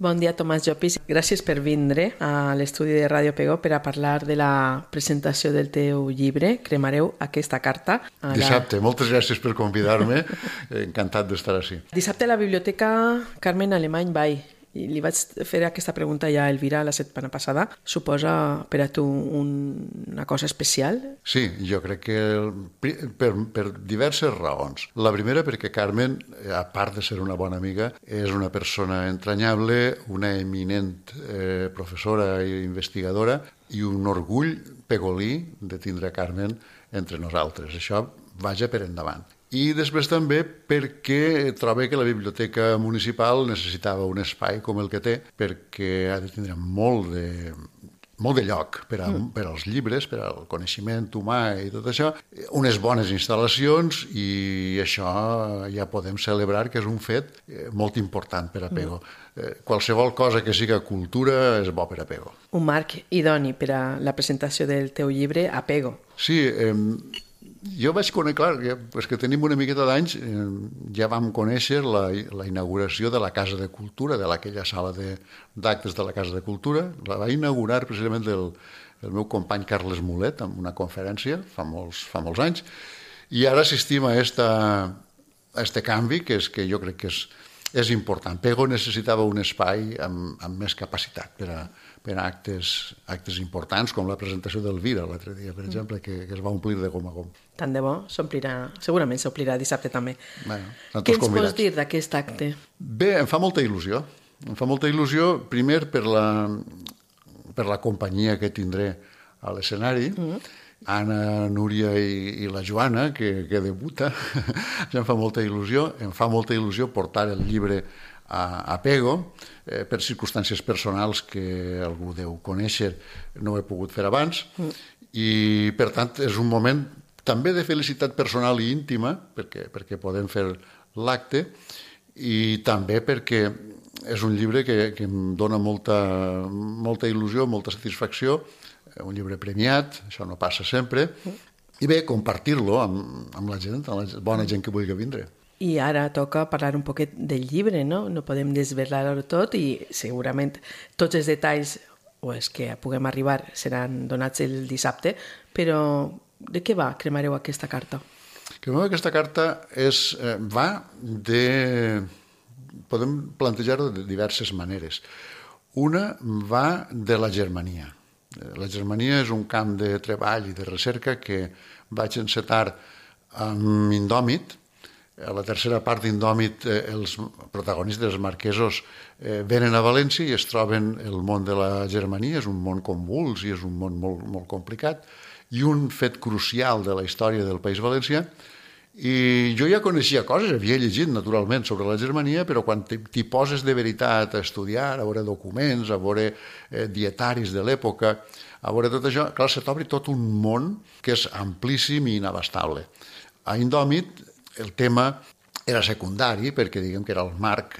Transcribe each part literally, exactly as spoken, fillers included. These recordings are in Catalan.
Bon dia, Tomàs Llopis. Gràcies per vindre a l'estudi de Ràdio Pego per a parlar de la presentació del teu llibre, Cremareu aquesta carta. La... Dissabte, moltes gràcies per convidar-me. Encantat d'estar així. Dissabte a la Biblioteca Carmen Alemany Bay. I li vaig fer aquesta pregunta ja a Elvira la setmana passada. Suposa per a tu un, una cosa especial? Sí, jo crec que per, per diverses raons. La primera perquè Carmen, a part de ser una bona amiga, és una persona entranyable, una eminent eh, professora i investigadora i un orgull pegolí de tindre Carmen entre nosaltres. Això vaja per endavant. I després també perquè trobo que la biblioteca municipal necessitava un espai com el que té, perquè ha de tindre molt de, molt de lloc per, a, mm. per als llibres, per al coneixement humà i tot això, unes bones instal·lacions, i això ja podem celebrar que és un fet molt important per a Pego. Mm. Qualsevol cosa que siga cultura és bo per a Pego. Un marc idoni per a la presentació del teu llibre a Pego. Sí, eh, jo vaig conèixer, clar, ja, pues que tenim una miqueta d'anys, eh, ja vam conèixer la, la inauguració de la Casa de Cultura, de aquella sala d'actes de, de la Casa de Cultura. La va inaugurar precisament el, el meu company Carles Mulet en una conferència fa molts, fa molts anys, i ara assistim a este a este canvi que, és, que jo crec que és, és important. Pego necessitava un espai amb, amb més capacitat per a per a actes, actes importants, com la presentació d'Elvira l'altre dia, per exemple, que, que es va omplir de gom a gom. Tant de bo, s'omplirà, segurament s'omplirà dissabte també. Bueno, què ens pots dir d'aquest acte? Bé, em fa molta il·lusió. Em fa molta il·lusió, primer, per la, per la companyia que tindré a l'escenari, mm-hmm. Anna, Núria i, i la Joana, que, que debuta. Ja em fa molta il·lusió. Em fa molta il·lusió portar el llibre a, a Pego, eh, per circumstàncies personals que algú deu conèixer, no ho he pogut fer abans, mm. i per tant és un moment també de felicitat personal i íntima, perquè, perquè podem fer l'acte, i també perquè és un llibre que, que em dona molta, molta il·lusió, molta satisfacció, un llibre premiat, això no passa sempre, mm. i bé, compartir-lo amb, amb la gent, amb la bona gent que vulgui vindre. I ara toca parlar un poquet del llibre, no? No podem desvelar-ho tot i segurament tots els detalls o els que puguem arribar seran donats el dissabte, però de què va Cremareu aquesta carta? Cremareu aquesta carta és, eh, va de... podem plantejar-ho de diverses maneres. Una va de la Germania. La Germania és un camp de treball i de recerca que vaig encetar amb Indòmit. A la tercera part d'Indòmit, eh, els protagonistes, els marquesos, eh, venen a València i es troben el món de la Germania. És un món convuls i és un món molt, molt complicat, i un fet crucial de la història del País Valencià. I jo ja coneixia coses, havia llegit naturalment sobre la Germania, però quan t'hi poses de veritat a estudiar, a veure documents, a veure eh, dietaris de l'època, a veure tot això, clar, se t'obre tot un món que és amplíssim i inabastable. A Indòmit el tema era secundari, perquè diguem que era el marc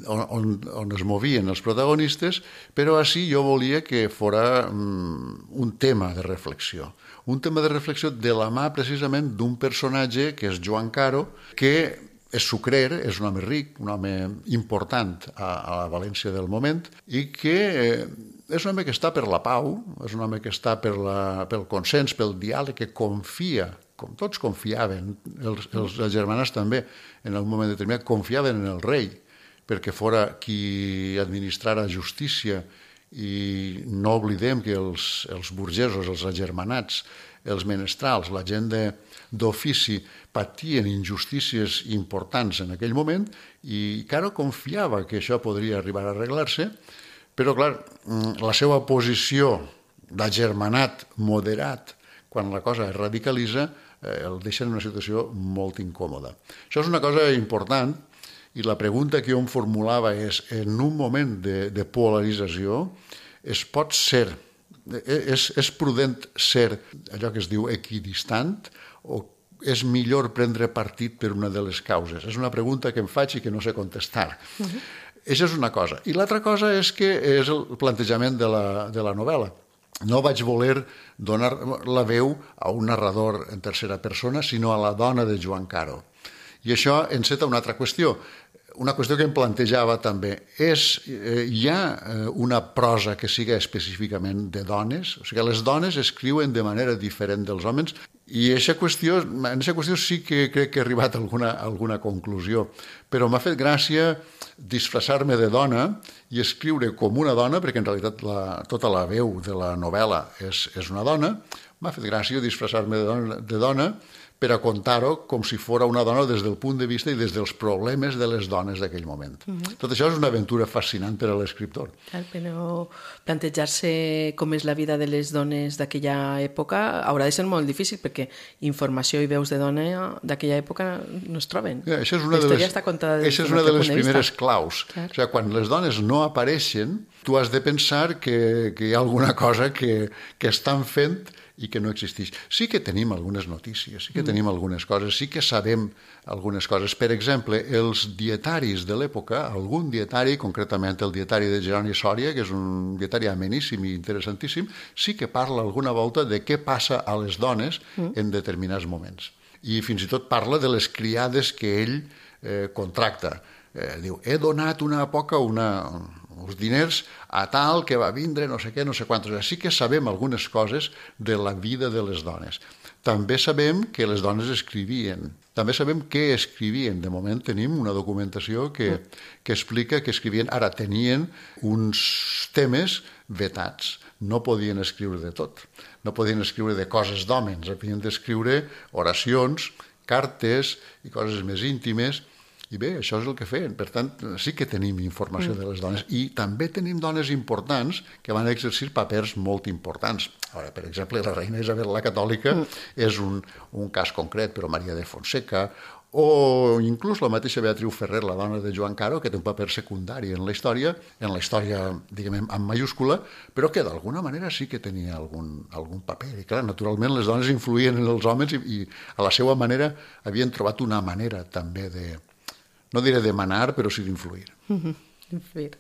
on, on, on es movien els protagonistes, però així jo volia que fora um, un tema de reflexió. Un tema de reflexió de la mà precisament d'un personatge que és Joan Caro, que és sucrer, és un home ric, un home important a, a la València del moment, i que eh, és un home que està per la pau, és un home que està per la, pel consens, pel diàleg, que confia, com tots confiaven, els, els, els germanats també, en un moment determinat, confiaven en el rei, perquè fora qui administrara justícia, i no oblidem que els, els burgesos, els agermanats, els menestrals, la gent d'ofici, patien injustícies importants en aquell moment, i Caro confiava que això podria arribar a arreglar-se, però, clar, la seva posició d'agermanat moderat, quan la cosa es radicalitza, el deixa en una situació molt incòmoda. Això és una cosa important, i la pregunta que jo em formulava és, en un moment de, de polarització, es pot ser, és, és prudent ser allò que es diu equidistant, o és millor prendre partit per una de les causes? És una pregunta que em faig i que no sé contestar. Uh-huh. Això és una cosa. I l'altra cosa és que és el plantejament de la, de la novel·la. No vaig voler donar la veu a un narrador en tercera persona, sinó a la dona de Joan Caro. I això enceta una altra qüestió. una qüestió que em plantejava també és, eh, hi ha eh, una prosa que siga específicament de dones? O sigui, les dones escriuen de manera diferent dels homes i aquesta qüestió, en aquesta qüestió sí que crec que he arribat a alguna, a alguna conclusió, però m'ha fet gràcia disfressar-me de dona i escriure com una dona, perquè en realitat la, tota la veu de la novel·la és, és una dona. M'ha fet gràcia disfressar-me de dona, de dona per a contar-ho com si fos una dona des del punt de vista i des dels problemes de les dones d'aquell moment. Uh-huh. Tot això és una aventura fascinant per a l'escriptor. Clar, però plantejar-se com és la vida de les dones d'aquella època haurà de ser molt difícil, perquè informació i veus de dona d'aquella època no es troben. Ja, això és una la història de les, està contada des això és una de les primeres vista. claus. Clar. O sigui, quan les dones no apareixen, tu has de pensar que, que hi ha alguna cosa que, que estan fent i que no existeix. Sí que tenim algunes notícies, sí que mm. tenim algunes coses, sí que sabem algunes coses. Per exemple, els dietaris de l'època, algun dietari, concretament el dietari de Jeroni Sòria, que és un dietari ameníssim i interessantíssim, sí que parla alguna volta de què passa a les dones mm. en determinats moments. I fins i tot parla de les criades que ell eh, contracta. Eh, diu, he donat una poca, una... uns diners a tal que va vindre no sé què, no sé quantos. Sí que sabem algunes coses de la vida de les dones. També sabem que les dones escrivien. També sabem què escrivien. De moment tenim una documentació que, que explica que escrivien. Ara, tenien uns temes vetats. No podien escriure de tot. No podien escriure de coses d'hòmens. Havien d'escriure oracions, cartes i coses més íntimes. I bé, això és el que feien. Per tant, sí que tenim informació mm. de les dones. I també tenim dones importants que van exercir papers molt importants. Ara, per exemple, la reina Isabel la Catòlica mm. és un, un cas concret, però Maria de Fonseca, o inclús la mateixa Beatriu Ferrer, la dona de Joan Caro, que té un paper secundari en la història, en la història, diguem, en mayúscula, però que d'alguna manera sí que tenia algun, algun paper. I clar, naturalment les dones influïen en els homes i, i a la seva manera havien trobat una manera també de... no diré de manar, però sí d'influir. Influir.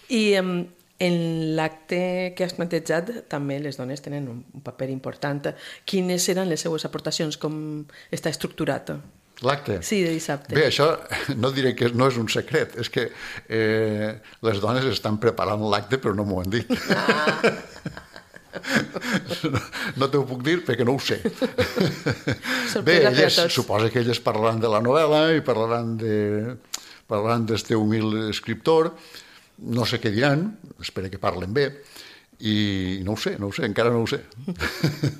I um, en l'acte que has plantejat també les dones tenen un, un paper important. Quines seran les seues aportacions? Com està estructurat? L'acte? Sí, de dissabte. Bé, això no diré que no és un secret, és que eh, les dones estan preparant l'acte però no m'ho han dit. Ah. No, no t'ho puc dir perquè no ho sé. Bé, elles, suposa que elles parlaran de la novel·la i parlaran de, parlaran d'este humil escriptor. No sé què diran, espero que parlen bé, i no ho sé, no ho sé, encara no ho sé.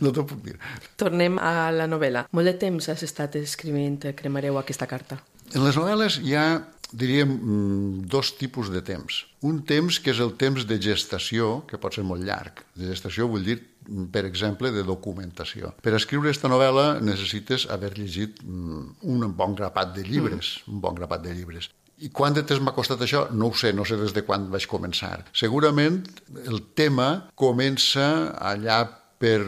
No t'ho puc dir. Tornem a la novel·la. Molt de temps has estat escrivint Cremareu aquesta carta? En les novel·les hi ha, diríem, dos tipus de temps. Un temps que és el temps de gestació, que pot ser molt llarg. De gestació vull dir, per exemple, de documentació. Per escriure aquesta novel·la necessites haver llegit un bon grapat de llibres, mm. un bon grapat de llibres. I quant de temps m'ha costat això? No ho sé, no sé des de quan vaig començar. Segurament el tema comença allà per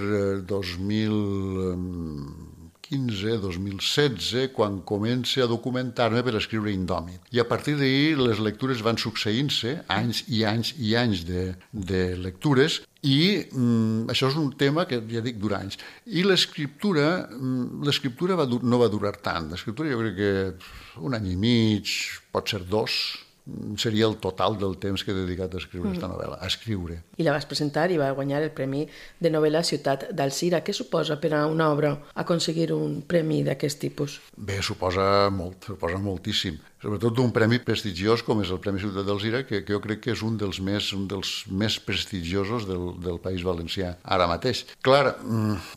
dos mil quinze, dos mil setze, quan comença a documentar-me per escriure Indòmit. I a partir d'ahir les lectures van succeint-se, anys i anys i anys de, de lectures, i mm, això és un tema que, ja dic, dura anys. I l'escriptura, mm, l'escriptura va dur, no va durar tant. L'escriptura jo crec que un any i mig, pot ser dos, seria el total del temps que he dedicat a escriure aquesta novel·la, a escriure. I la vas presentar i va guanyar el Premi de Novel·la Ciutat d'Alzira. Què suposa per a una obra aconseguir un premi d'aquest tipus? Bé, suposa molt, suposa moltíssim. Sobretot d'un premi prestigiós com és el Premi Ciutat d'Alzira, que, que jo crec que és un dels més, un dels més prestigiosos del, del País Valencià ara mateix. Clar,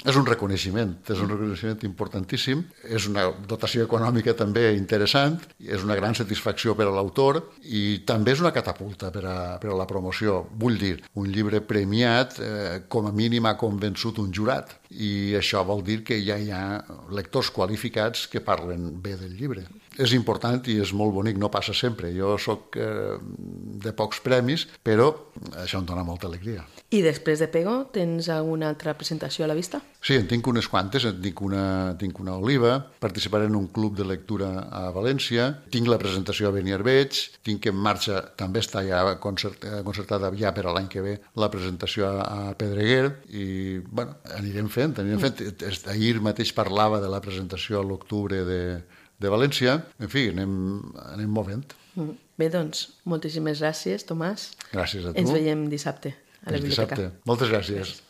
és un reconeixement, és un reconeixement importantíssim, és una dotació econòmica també interessant, és una gran satisfacció per a l'autor i també és una catapulta per a, per a la promoció. Vull dir, un llibre premiat eh, com a mínim ha convençut un jurat i això vol dir que ja hi ha lectors qualificats que parlen bé del llibre. És important i és molt bonic, no passa sempre. Jo sóc eh, de pocs premis, però això em dona molta alegria. I després de Pego, tens alguna altra presentació a la vista? Sí, en tinc unes quantes. En tinc una, tinc una Oliva, participaré en un club de lectura a València, tinc la presentació a Beniarbeig, tinc en marxa, també està ja concert, concertada ja per a l'any que ve, la presentació a, a Pedreguer, i bueno, anirem fent, anirem fent. Ahir mateix parlava de la presentació a l'octubre de de València, en fi, anem, anem movent. Bé, doncs, moltíssimes gràcies, Tomàs. Gràcies a tu. Ens veiem dissabte a la Fins biblioteca. dissabte. Moltes gràcies. gràcies.